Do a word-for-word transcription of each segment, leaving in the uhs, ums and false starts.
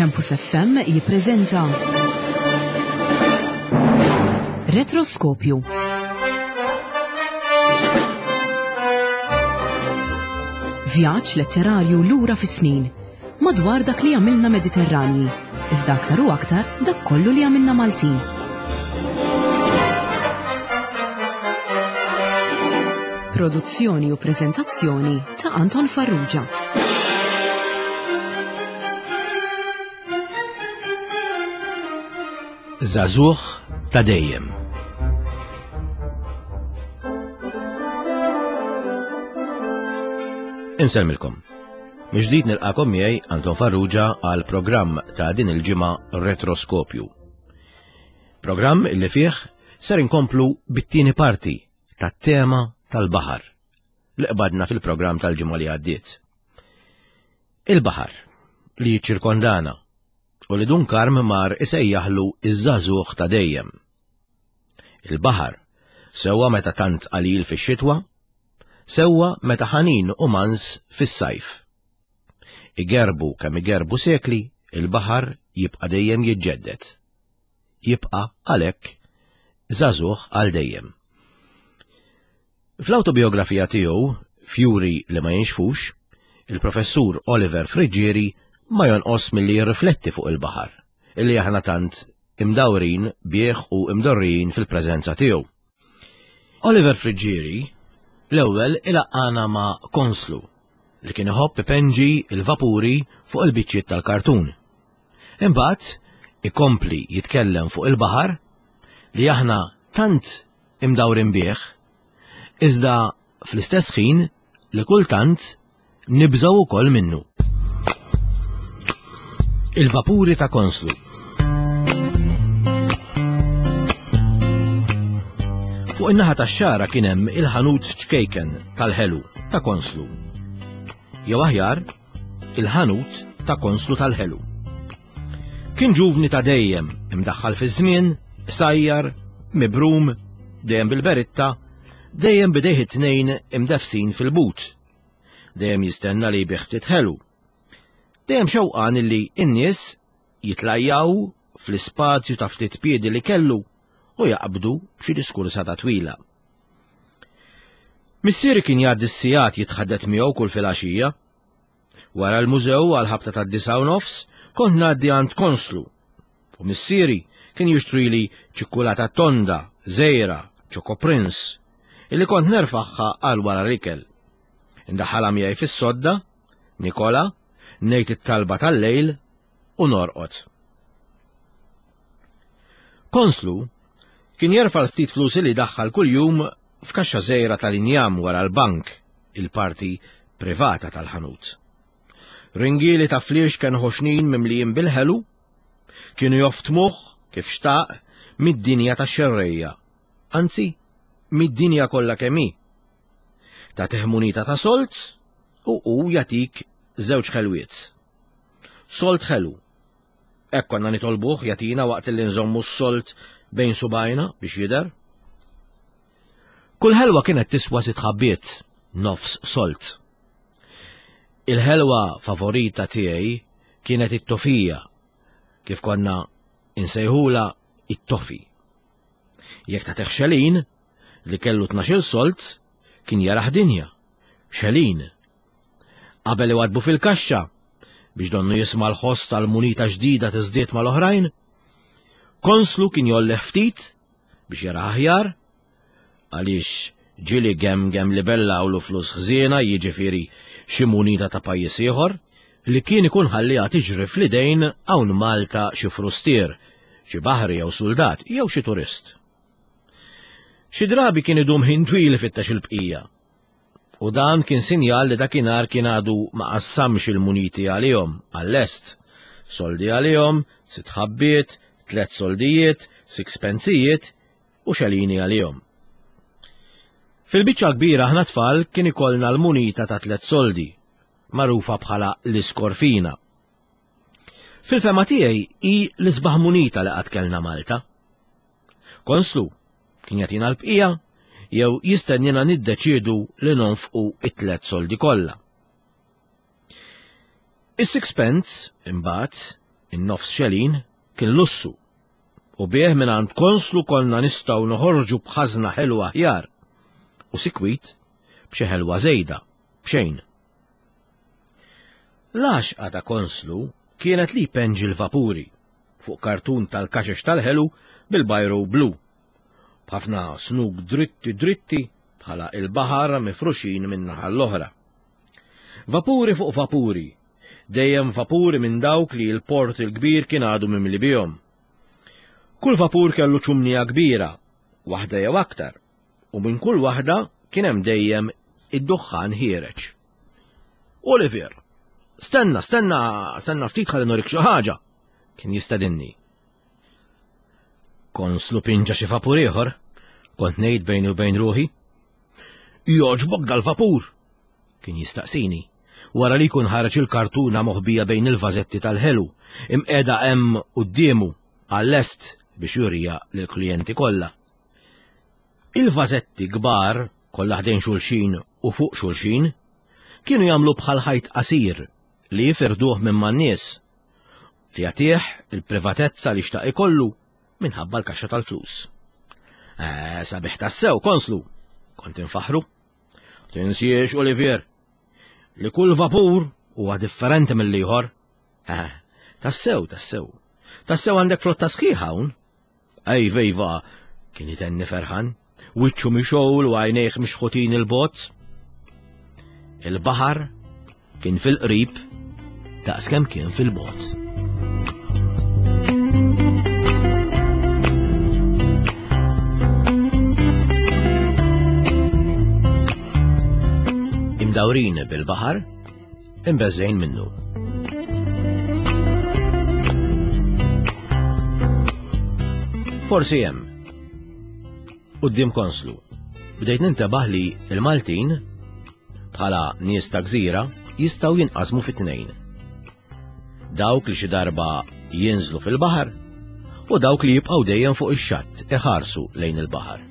Campus F M jippreżenta Retroskopju. Vjaġġ letterarju lura fis-snin madwar dak li għamilna Mediterranji, iżda aktar u aktar dak kollu li għamilna Maltin. Produzzjoni u preżentazzjoni ta' Anton Farrugia. Żagħżugħ ta' dejjem. Insellmilkom. Mill-ġdid nilqakom miegħi, Anton Farrugia, għal programm ta' din il-ġimgħa, Retroskopju. Programm illi fih ser inkomplu bit-tieni parti tat-tema tal-baħar li qbadna fil-programm tal-ġimgħa li għaddiet. Il-baħar li jiċċirkondana u li Dun Karm mar isejjaħlu iż-żagħżugħ ta' dejjem. Il-baħar, sewwa meta tant qalil fix-xitwa, sewwa meta ħanin u mans fis-sajf. Igerbu kemm igerbu sekli, il-baħar jibqa' dejjem jiġġedded. Jibqa' għalhekk żagħżugħ għal dejjem. Fl-autobiografija tiegħu, Fjuri li ma jinxfux, il-professur Oliver Friggieri ma jonqos milli jirrifletti fuq il-baħar, illi aħna tant imdawrin bih u imdorrijin fil-preżenza tiegħu. Oliver Friggieri l-ewwel ilaqqana ma' Konslu li kien iħobb ipenġi il-vapuri fuq il-biċċiet tal-kartun. Imbagħad ikompli jitkellem fuq il-baħar li aħna tant imdawrin bih, iżda fl-istess ħin li kultant nibżgħu ukoll minnu. Il-vapuri ta' Konslu. Fuq in-naħa tax-Xagħra kien hemm il-ħanut ċkejken tal-ħelu ta' Konslu. Jew aħjar, il-ħanut ta' Konslu tal-ħelu. Kien ġuvni ta' dejjem, imdaħħal fiż-żmien, sajjar, mibrum, dejjem bil-beritta, dejjem bidejh it-tnejn imdefsin fil-but. Dejjem jistenna li jbigħ ftit ħelu. Dejjem xewqan illi n-nies jitlajjaw fl-ispazju ta' ftit piedi li kellu u jaqbdu b'xi diskursata twila. Missieri kien jgħaddi s-sigħat jitħaddet miegħu kull filgħaxija. Wara l-mużew għal ħabta tad-disgħa u nofs kont ngħaddi għand Konslu. U missieri kien jixtrili ċikkulata tonda, żejra, Choco Prince, illi kont nerfaħħa għal wara l-ikel. Indaħħalha miegħi fis-sodda, nikola, ngħid it-talba tal-lejl u norqod. Konslu kien jerfa' l-ftit flus li daħħal kuljum f'kaxxa żgħira tal-injam wara l-bank, il-parti privata tal-ħanut. Ringieli ta' fliex kien ħoxnin mimlijin bil-ħelu, kienu joftmuh kif xtaq mid-dinja tax-xerrejja, anzi mid-dinja kollha kemm hi. Tagħtih munita ta' solt u hu jagħtik żewġ ħelwiet. Solt ħelu. Hekk konna nitolbuh jagħtina waqt li nżommu s-solt bejn subajna biex jidher. Kull ħelwa kienet tiswa sitt ħabbiet, nofs solt. Il-ħelwa favorita tiegħi kienet it-tofija, kif konna insejħula it-tofi. Jekk tagħtih xelin li kellu tnax-il solt, kien jaraħ dinja. Xelin. Qabel iwadbu fil-kaxxa biex donnu jisma' l-ħoss tal-munita ġdida tiżdied mal-oħrajn, Konslu kien jolleh ftit biex jara aħjar, għaliex ġieli gemgem li bellawlu flus ħżiena, jiġifieri xi munita ta' pajjiż ieħor, li kien ikun ħalliha tiġri fl-idejn hawn Malta xi frustier, xi baħri jew soldat jew xi turist. Xi drabi kien idum ħin twil ifittex il-bqija. U dan kien sinjal li dakinhar kien għadu ma qassamx il-muniti għalihom għall-est. Soldi għalihom, sitt ħabbiet, tliet soldijiet, sixpensijiet u xelini għalihom. Fil-biċċa kbira aħna tfal kien ikollna l-munita ta' tliet soldi, magħrufa bħala l-iskorfina. Fil-fema tiegħi hi l-isbaħ munita li qatt kellna Malta. Konslu kien jagħtina l-bqija jew jistennina niddeċiedu li nonfqu it-tliet soldi kollha. Is-sixpence, imbagħad, In-nofs xelin kien lussu u bih mingħand konslu konna nistgħu noħorġu b'ħażna ħelwa aħjar u sikwit b'xi ħelwa żejda b'xejn. L-għaxqa ta' konslu kienet li jpenġi l-vapuri fuq kartun tal-kaxex tal-ħelu bil-bajru blu, b'ħafna snug dritti dritti bħala il-baħar mifruxin minn naħa l-oħra. Vapuri fuq vapuri, dejjem vapuri minn dawk li l-port il-kbir kien għadu mimli bihom. Kull vapur kellu ċumnija kbira, waħda jew aktar, u minn kull waħda kien hemm dejjem id-duħħan ħiereġ. Oliver, stenna, stenna, stenna ftit ħalli norik xi ħaġa, kien jistedinni. Konslu pinġa xi vapur ieħor, kont ngħid bejni u bejn ruħi. Jogħġbok dal-vapur, kien jistaqsini, wara li jkun ħareġ il-kartuna moħbija bejn il-vażetti tal-ħelu, imqiegħda hemm quddiemu għal-lest biex jurija lill-klijenti kollha. Il-vażetti kbar, kollha ħdejn xulxin u fuq xulxin, kienu jagħmlu bħal ħajt qasir li jifirduh minn man-nies, li jagħtih il-privatezza li xtaq ikollu minħabba l-kaxxa tal-flus. Eh, sabiħ tassew, konslu, kont infaħru. Tinsiex, Olivier, li kull vapur huwa differenti mill-ieħor. Eh, tassew, tassew. Tassew għandek flotta sħiħa hawn. Ejva, ejva, kien itenni ferħan, wiċċu mixgħul u għajnejh mixħutin il-bot. Il-baħar kien fil-qrib daqskemm kien fil-bot. Imdawrin bil-baħar, imbeżżejn minnu. Forsi hemm. Quddiem konslu, bdejt nintebaħ li l-Maltin, bħala nies ta' gżira, jistgħu jinqasmu fi tnejn. Dawk li xi darba jinżlu fil-baħar u dawk li jibqgħu dejjem fuq ix-xatt iħarsu lejn il-baħar.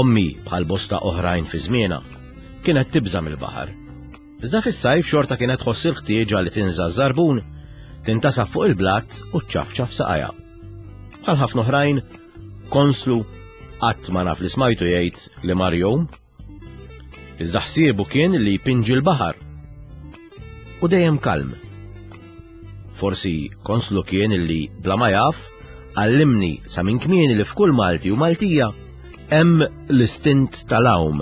Ommi bħal bosta oħrajn fi żmienha kienet tibża' mill-baħar. Iżda fis-sajf xorta kienet tħoss il-ħtieġa li tinża' żarbun, tintasab fuq il-blat u ċċafċaf saqajha. Bħal ħafna oħrajn, konslu qatt ma naf li smajtu jgħid li mar jum. Iżda ħsiebu kien li jpinġi l-baħar. U dejjem kalm. Forsi konslu kien li bla ma jaf għallimni sa minn kmieni li f'kull Malti u Maltija hemm l-istint tal-għawm,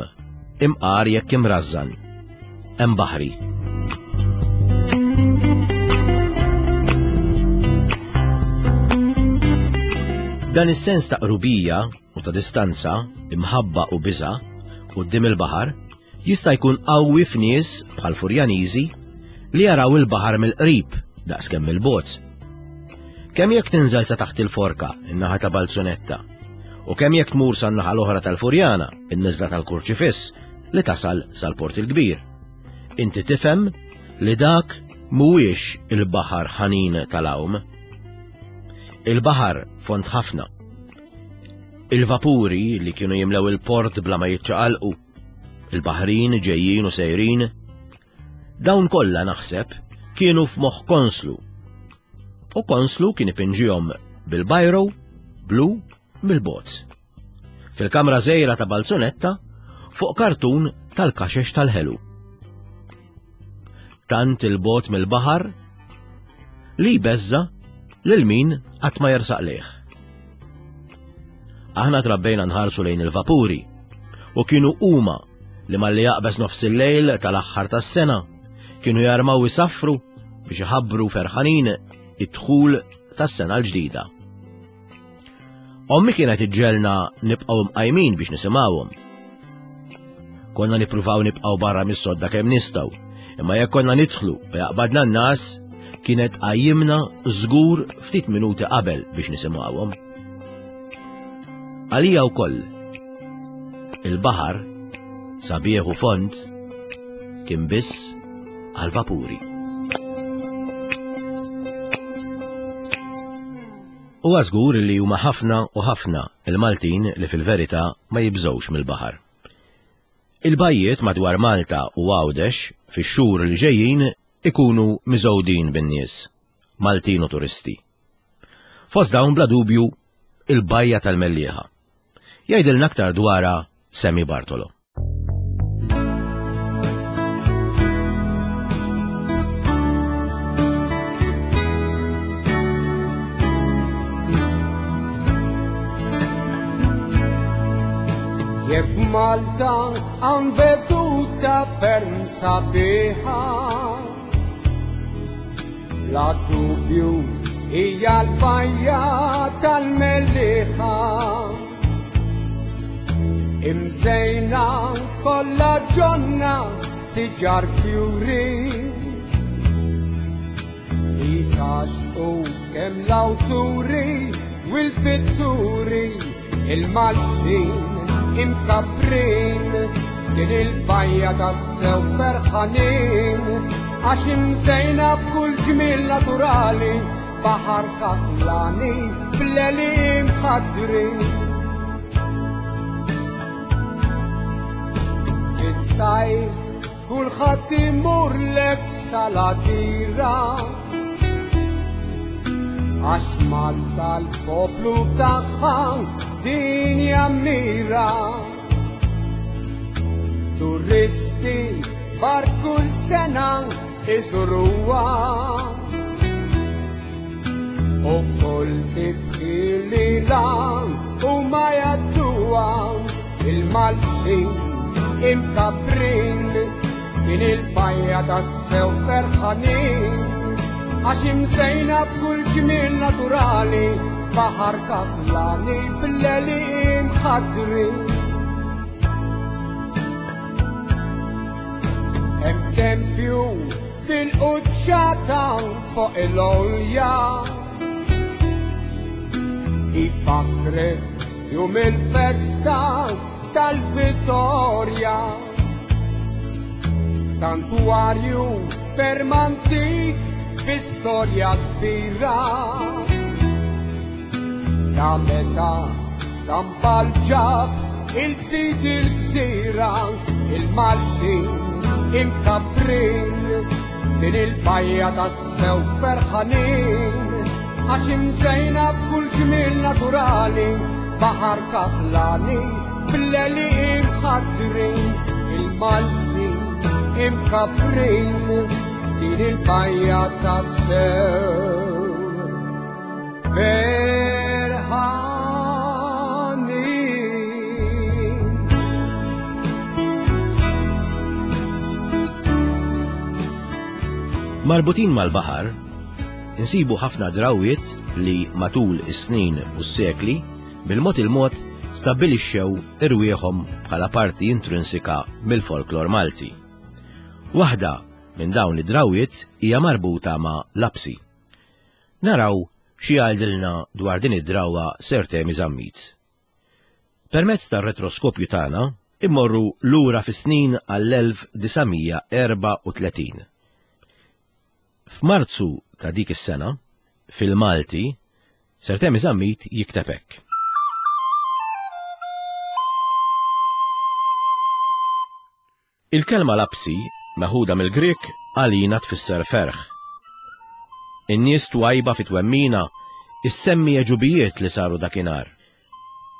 imqar jekk imrażżan, hemm baħri. Dan is-sens ta' qrubija u ta' distanza, imħabba u biża' quddiem il-baħar jista' jkun qawwi f'nies bħal Furjaniżi li jaraw il-baħar mill-qrib daqskemm il-bogħod. Kemm jekk tinżel sa taħt il-forka, in-naħa ta' Balzunetta, u kemm jekk tmur san-naħa l-oħra tal-Furjana, in-niżla tal-Kurċifiss, li tasal sal-Port il-Kbir. Inti tifhem li dak mhuwiex il-baħar ħanin tal-għawm. Il-baħar fond ħafna. Il-vapuri li kienu jimlew il-port bla ma jiċċaqalqu, il-baħrin ġejjin u sejrin, dawn kollha naħseb kienu f'moħħ konslu. U konslu kien ipinġihom bil-bajro blu mill-bot. Fil-kamra żgħira ta' Balzunetta fuq kartun tal-kaxex tal-ħelu. Tant il-bot mill-baħar li jbeżża lil min qatt ma jersaq lejh. Aħna trabbejna nħarsu lejn il-vapuri u kienu huma li malli jaqbeż nofs il-lejl tal-aħħar tas-sena kienu jarmaw isaffru biex iħabbru ferħanin id-dħul tas-sena l-ġdida. Ommi kienet iġġelna nibqgħu mqajmin biex nisimgħuhom. Konna nippruvaw nibqgħu barra mis-sodda kemm nistgħu, imma jekk konna nidħlu u jaqbadna n-nas, kienet qajjimna żgur ftit minuti qabel biex nisimgħuhom. Għalija wkoll il-baħar sabiħ u fond kien biss għal-vapuri. Huwa żgur li huma ħafna u ħafna il-Maltin li fil-verità ma jibżgħux mill-baħar. Il-bajjiet madwar Malta u Għawdex fix-xhur li ġejjin ikunu miżgħudin bin-nies. Maltin u turisti. Fost dawn bla dubju il-bajja tal-Mellieħa. Jgħidilna aktar dwarha Semi Bartolo. Jekk Malta hawn veduta ferm sabiħa, bla dubju hija l-bajja tal-Mellieħa. Imżejna kollha ġonna siġar fjuri, li tgħaxxqu kemm l-awturi u l-pitturi, il-Maltin imkabrin din il-bajja tassew ferħanin, għax imżejna b'kull ġmiel naturali, baħar kaħlani bl-għeliem ħadrin. Fis-sajf kulħadd imur lek saladira, għax Malta l-poplu tagħha din jammira. Turisti bar kull sena iżuruha, u kull tibħilila u ma jgħadduha, il-Maltin imkabrin din il-bajja tassew ferħanin, għax imżejna b'kull ġmiel naturali, baħar kaħlani bl-għeliem ħadrin. Hemm tempju fil-quċċata fuq il-għolja, ifakrek jum il-festa tal-Vittorja, santuarju ferm antik bi storja kbira, ta' meta San Pawl ġab il-fidi l-gżira, il-Maltin imkabrin din il-bajja tassew ferħanin, għax imżejna b'kull ġmiel naturali, baħar kaħlani bl-għeliem ħadrin, il-Maltin imkabrin din il-bajja tassew ferħanin. Marbutin mal-baħar, insibu ħafna drawiet li matul is-snin u s-sekli bil-mod il-mod stabbilixxew irwieħhom bħala parti intrinsika mill-folklor Malti. Waħda minn dawn id-drawiet hija marbuta ma' lapsi. Naraw xi jgħidilna dwar din id-drawwa Sir Temi Zammit. Permezz tar-retroskopju tagħna immorru lura fis-snin għall-elf disa' mija erba' u tletin. F'Marzu ta' dik is-sena, fil-Malti, Sir Temi Zammit jikteb hekk. Il-kelma lapsi, meħuda mill-Grek, għalina tfisser ferħ. In-nies twajba fit-twemmina issemmi għeġubijiet li saru dakinhar.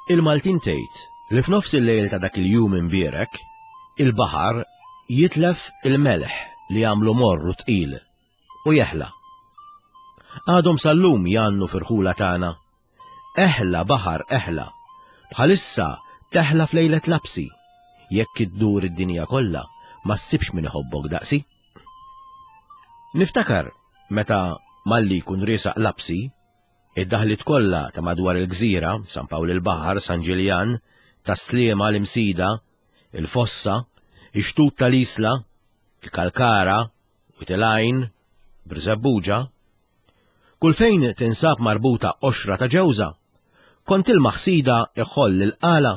Il-Maltin tgħid li f'nofs il-lejl ta' dak il-jum imbierek, il-baħar jitlef il-melħ li għamlu morru tqil u jeħla. Għadhom sal-lum jgħannu firħula tagħna. Eħla baħar eħla, bħalissa teħla f'lejlet lapsi, jekk iddur id-dinja kollha ma ssibx min iħobbok daqsi. Niftakar meta malli jkun riesaq lapsi, id-daħlit kollha ta' madwar il-gżira, San Pawl il-Baħar, San Ġiljan, Tas-Sliema, l-Imsida, il-Fossa, ix-Xtut tal-Isla, il-Kalkara, Wied il-Għajn, Birżebbuġa, kull fejn tinsab marbuta qoxra ta' ġewża, kont il-maħsida iħoll il-qala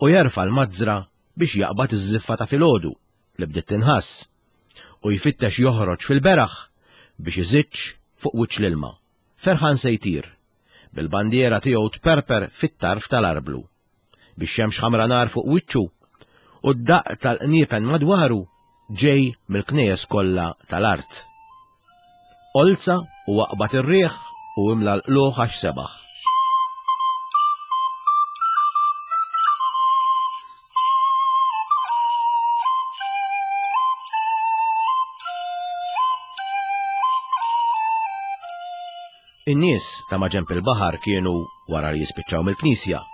u jerfa' l-mazzra biex jaqbad iż-żiffa ta' filgħodu li bdiet tinħass u jfittex joħroġ fil-beraħ biex iżiġġ fuq wiċċ l-ilma. Ferħan se jtir, bil-bandiera tiegħu tperper fit-tarf tal-arblu, biex xemx ħamra nar fuq wiċċu u d-daqq tal-qniepen madwaru ġej mill-knejjes kollha tal-art. Olza u aqbad ir-riħ u imla l-qluħ għax sebaħ. In-nies ta' maġenb il-baħar kienu, wara li jispiċċaw mill-knisja,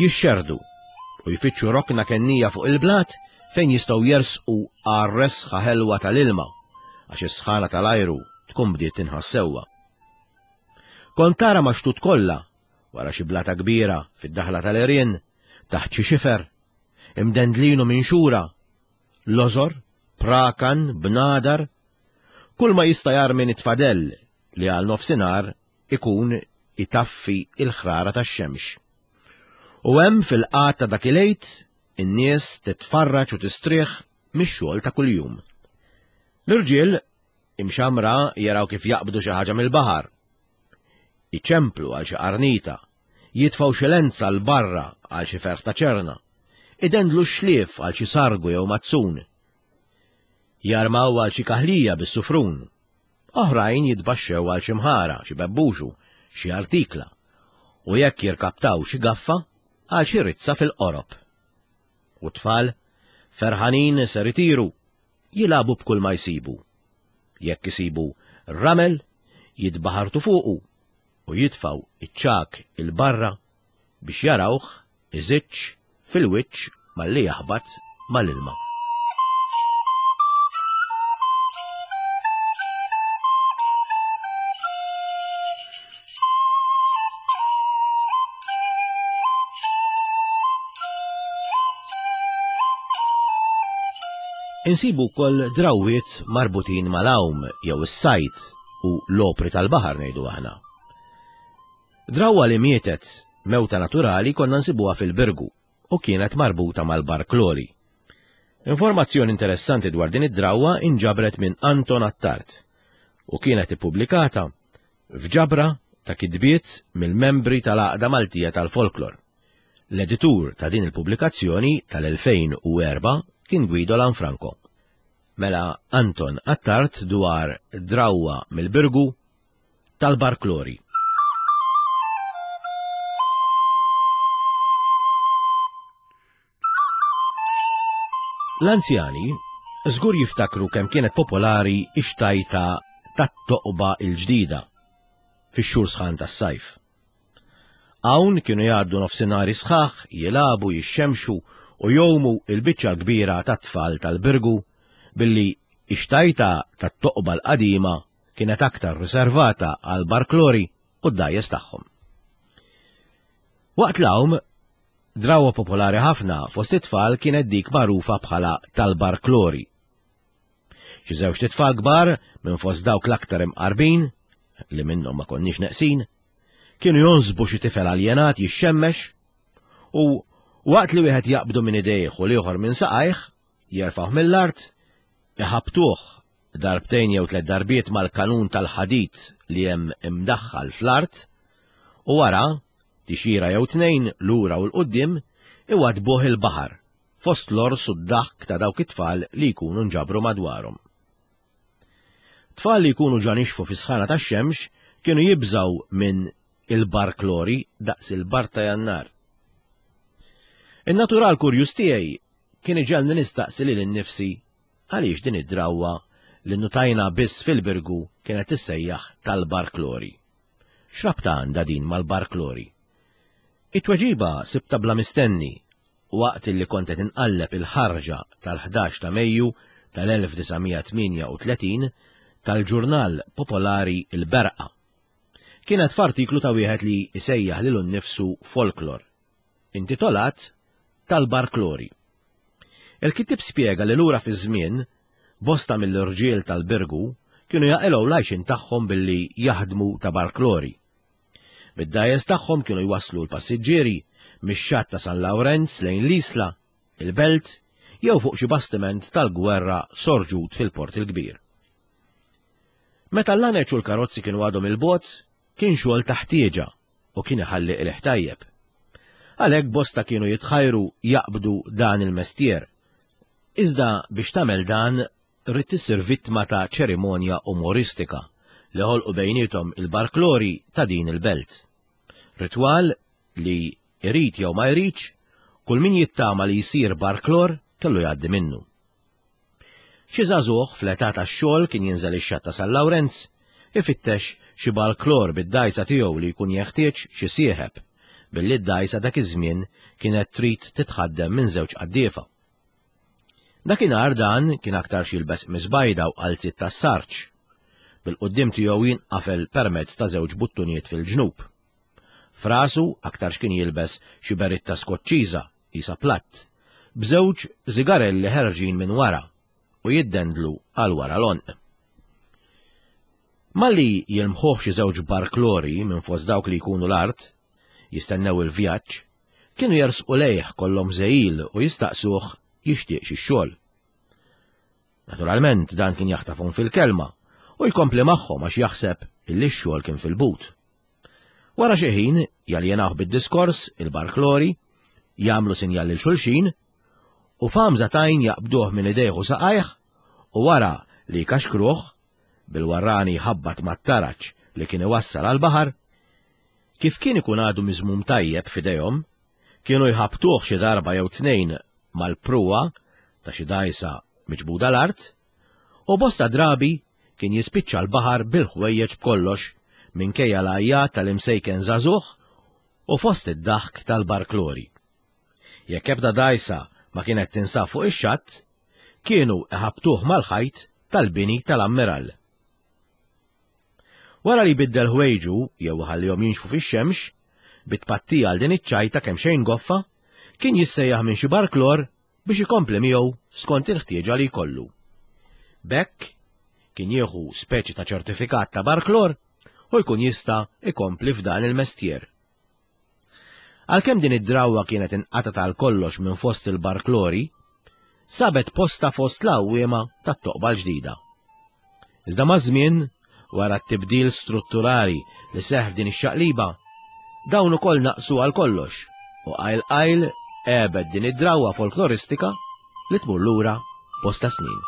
jixxerdu u jfittxu rokna kennija fuq il-blat fejn jistgħu jersqu għar-resħa ħelwa tal-ilma għax is-sħana tal-ajru tkun bdiet tinħass sewwa. Kont tara maxtut kollha wara xi blata kbira fid-daħla tal-għerien, taħt xi xifer, imdendlinu minn xura, lożor, prakan, bnadar, kull ma jista' jarmi nitfadell li għal nofsinhar ikun itaffi il-ħrara tax-xemx. U hemm fil-qagħad ta' dak il-għid in-nies titfarraġ u tistrieħ mix-xogħol ta' kuljum. L-irġiel imxamra jaraw kif jaqbdu xi ħaġa mill-baħar, iċemplu għal xi qarnita, jitfgħu xi lenza l barra għal xi ferħ ta' ċerna, idendlu xlief għal xi sargu jew mazzun, jarmaw għal xi kaħlija bis-sufrun, oħrajn jitbaxxew għal xi mħara, xi bebbuxu, xi artikla, u jekk jirkaptaw xi gaffa għal xi rizza fil-qorob. U tfal, ferħanin ser itiru, jilagħbu b'kull ma jsibu. Jekk isibu ramel, jitbaħartu fuqu u jitfaw iċ-ċak il-barra biex jarawh iżiċċ fil-wiċċ malli jaħbat mal-ilma. Insibu wkoll drawwiet marbutin mal-għawm jew is-sajt u l-opri tal-baħar ngħidu aħna. Drawwa li mietet mewta naturali konna nsibuha fil-Birgu u kienet marbuta mal-barklori. Informazzjoni interessanti dwar din id-drawwa inġabret minn Anton Attard u kienet ippubblikata f'ġabra ta' kitbiet mill-membri tal-Għaqda Maltija tal-Folklor. L-editur ta' din il-pubblikazzjoni tal-elfejn u erba' kien Guido Lanfranco. Mela Anton Attard dwar drawwa mill-Birgu tal-Barklori. L-anzjani żgur jiftakru kemm kienet popolari x-xtajta tat-toqba il-ġdida fix-xhur sħan tas-sajf. Hawn kienu jgħaddu nofsinhari sħaħ, jilagħbu, jixxemxu u jowmu il-biċċa l-kbira tat-tfal tal-Birgu billi x-xtajta tat-toqba l-qadima kienet aktar riservata għal barklori u d-dajjes tagħhom. Waqt l-għawm, drawwa popolari ħafna fost it-tfal kienet dik magħrufa bħala tal-barklori. Xi żewġ tfal kbar minn fost dawk l-aktar imqarbin, li minnhom ma konniex neqsin, kienu jonsbu xi tifel aljenat jixxemmex u waqt li wieħed jaqbdu minn idejh u l-ieħor minn saqajh, jerfgħuh mill-art, iħabtuh darbtejn jew tliet darbiet mal-kanun tal-ħadid li hemm imdaħħal fl-art, u wara tixira jew tnejn lura u l-qudiem iwadbuh il-baħar fost l-ors u d-daħk ta' dawk it-tfal li jkunu nġabru madwarhom. Tfal li jkunu ġa nixfu fis-sħana tax-xemx kienu jibżgħu minn il-barklori daqs il-bar ta' Jannar. In-natural kurjuż tiegħi kien iġegħelni nistaqsi lil innifsi għaliex din id-drawwa li nnutajna biss fil-Birgu kienet tissejjaħ tal-barklori. X'rabta għandha din mal-barklori? It-tweġiba sibta bla mistenni waqt li kont qed inqalleb il-ħarġa tal-ħdax ta' Mejju tal-elf disa' mija tmienja u tletin tal-ġurnal popolari Il-Berqa. Kienet f'artiklu ta' wieħed li jsejjaħ lilu nnifsu Folklor, intitolat Tal-Barklori. Il-kittieb spjega li lura fi żmien bosta mill-irġiel tal-Birgu kienu jaqilgħu l-għajxin tagħhom billi jaħdmu ta' barklori. Bid-dgħajjes tagħhom kienu jwasslu l-passiġġieri mix-xatt ta' San Lawrenz lejn l-Isla, il-Belt, jew fuq xi bastiment tal-gwerra sorġut fil-Port il-Kbir. Meta l-laneċ u l-karozzi kienu għadhom il-bogħod, kien xogħol ta' ħtieġa u kien iħalli qligħ tajjeb. Għalhekk bosta kienu jitħajru jaqbdu dan il-mestier. Iżda biex tagħmel dan rrid issir vittma ta' ċerimonja umoristika li ħolqu bejnietom il-barklori ta' din il-belt. Ritwal li irid jew ma jridx, kull min jittama li jsir barklor kellu jgħaddi minnu. Xi żagħżugħ fl-età tax-xogħol kien jinżel ix-xatt ta' San Lawrenz ifittex xi barklor bid-dgħajsa tiegħu li jkun jeħtieġ xi sieħeb, billi d-dgħajsa dak iż-żmien kienet trid titħaddem minn żewġ qaddiefa. Dakinhar dan kien aktarx jilbes qmis bajda u qalziet tas-sarġ, bil-quddiem tiegħu jinqafel permezz ta' żewġ buttunijiet fil-ġnub. Frasu aktarx kien jilbes xi beritta skoċċiża qisha platt, b'żewġ zigarelli ħerġin minn wara u jiddendlu għal wara l-għonq. Malli jilmħuh xi żewġ barklori minn fost dawk li jkunu l-art, jistennew il-vjaġġ, kienu jersqu lejh kollhom żejjil u jistaqsuh jixtieq xi xogħol. Naturalment dan kien jaħtafhom fil-kelma u jkompli magħhom għax jaħseb illi x-xogħol kien fil-but. Wara xi ħin jaljenawh bid-diskors il-barklori, jagħmlu sinjal lil xulxin u f'għamża tajn jaqbduh minn idejh u saqajh u wara li jkaxkruh bil-warrani jħabbat mat-taraġ li kien iwassal għall-baħar, kif kien ikun għadu miżmum tajjeb f'idejhom, kienu jħabtuh xi darba jew tnejn mal-pruwa ta' xi dgħajsa miġbuda l-art, u bosta drabi kien jispiċċa l-baħar bil-ħwejjeġ b'kollox minkejja l-għajjat tal-imsejken żagħżugħ u fost id-daħk tal-barklori. Jekk ebda dgħajsa ma kienet tinsab fuq ix-xatt, kienu iħabtuh mal-ħajt tal-bini tal-ammiral. Wara li biddel ħwejġu jew ħallihom jinxfu fix-xemx, bit-tpattija għal din iċ-ċajta kemm xejn goffa, kien jissejjaħ minn xi barklor biex ikompli miegħu skont il-ħtieġa li jkollu. B'hekk kien jieħu speċi ta' ċertifikat ta' barklor u jkun jista' ikompli f'dan il-mestjer. Għalkemm din id-drawwa kienet inqatgħet għal kollox minn fost il-barklori, sabet posta fost l-għawwiema tat-toqba l-ġdida. Iżda maż-żmien, wara t-tibdil strutturali li seħħ f'din ix-xaqliba, dawn ukoll naqsu għal kollox u qajl qajl għebet din id-drawwa folkloristika li tmur lura bosta snin.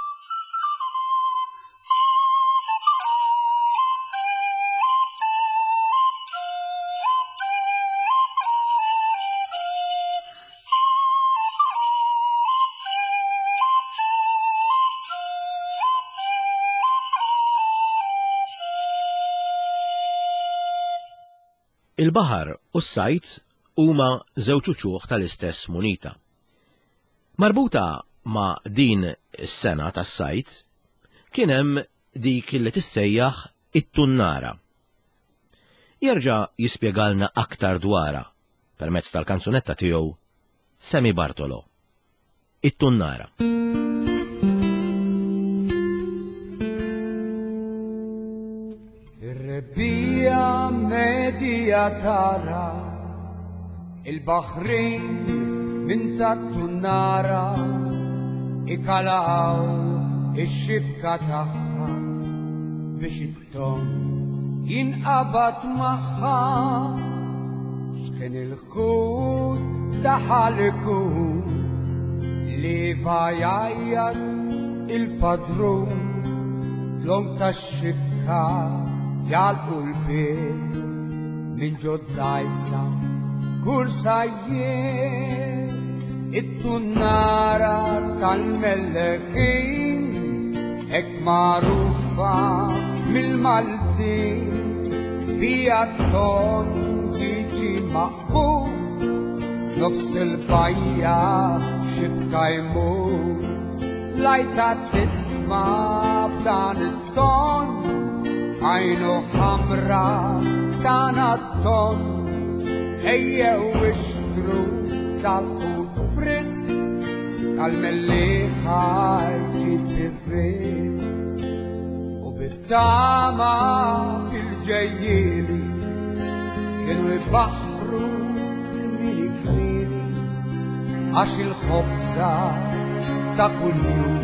Il-baħar u s-sajt huma żewġ uċuħ tal-istess munita. Marbuta ma' din is-sena tas-sajt kien hemm dik li tissejjaħ it-tunnara. Jerġa' jispjegalna aktar dwarha permezz tal-kanzunetta tiegħu Sammy Bartolo. It-tunnara. Ir-rebbiegħa medja tara il-baħrin minn tat-tunnara ikalaw ix-xibka tagħha biex it-ton jinqabad magħha. X'kien il-ħut daħal ikun li vajajat il-padrun long tax-xibka jgħalqu l-bieb minn ġod-dgħajsa kursajjien. It-tunnara tal-Melleħin hekk magħrufa mill-Maltin bija t-ton jiġi maqbul nofs il-bajja xibka jmur. Lajta tisma' b'dan it-ton għajnu ħamra tana t-ton, ejjew ixtru tal-ħut frisk tal-Mellieħa jġib ir-risk. U bit-tama fil-ġejjieni kienu jbaħħru kmieni kmieni għax il-ħobsa ta' kuljum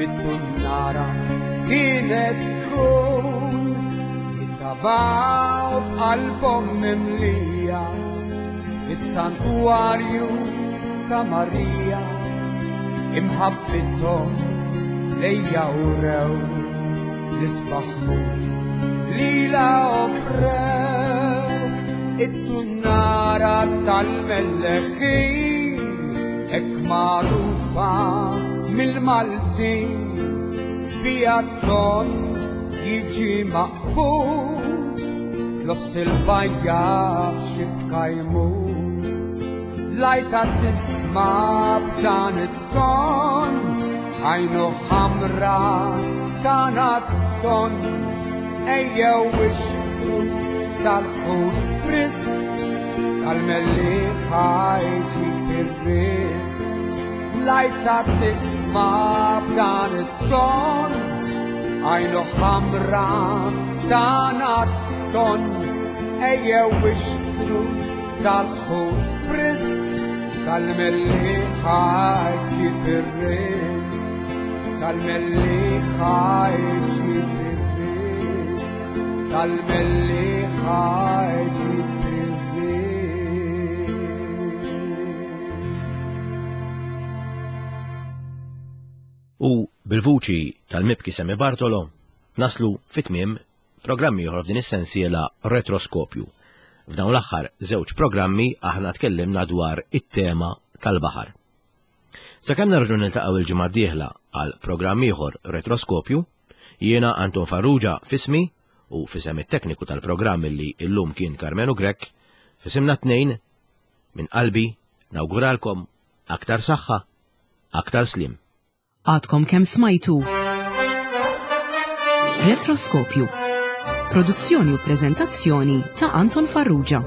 mit-tunnara kienet tkun. Jittabaw b'qalbhom mimlija is-santwarju ta' Marija, imħabbithom lejja u rew l-isbaħ ħut Lila offrew it-tunnara tal-Melleħin, hekk magħrufa mill-Maltin, bija ton jiġi maqbul, f'nofs il-bajja f'xibka jmur. Lajta tisma' b'dan it-ton, għajnu ħamra ta' ton, ejjew ixtru tal-ħut frisk, tal-Mellieħa jġib ir-riżq. Lajta tisma' b'dan it-ton, għajnu ħamra ta' ton, ejjew ixtru tal-ħut frisk, tal-Mellieħa jġib ir-riżq, tal-Mellieħa jġib ir-riżq, tal-Mellieħa jġib ir-riżq. U bil-vuċi tal-mibki Sammy Bartolo naslu fit-tmiem programm ieħor f'din is-sensiela Retroskopju. F'dawn l-aħħar żewġ programmi aħna tkellimna dwar it-tema tal-baħar. Sakemm nerġgħu niltaqgħu il-ġimgħa d-dieħla għal programm ieħor Retroskopju, jiena Anton Farrugia f'ismi u f'isem it-tekniku tal-programm li illum kien Karmenu Grech, f'isimna tnejn minn qalbi nawguralkom aktar saħħa, aktar slim. Għadkom kemm smajtu Retroskopju. Produzzjoni u prezentazzjoni ta' Anton Farrugia.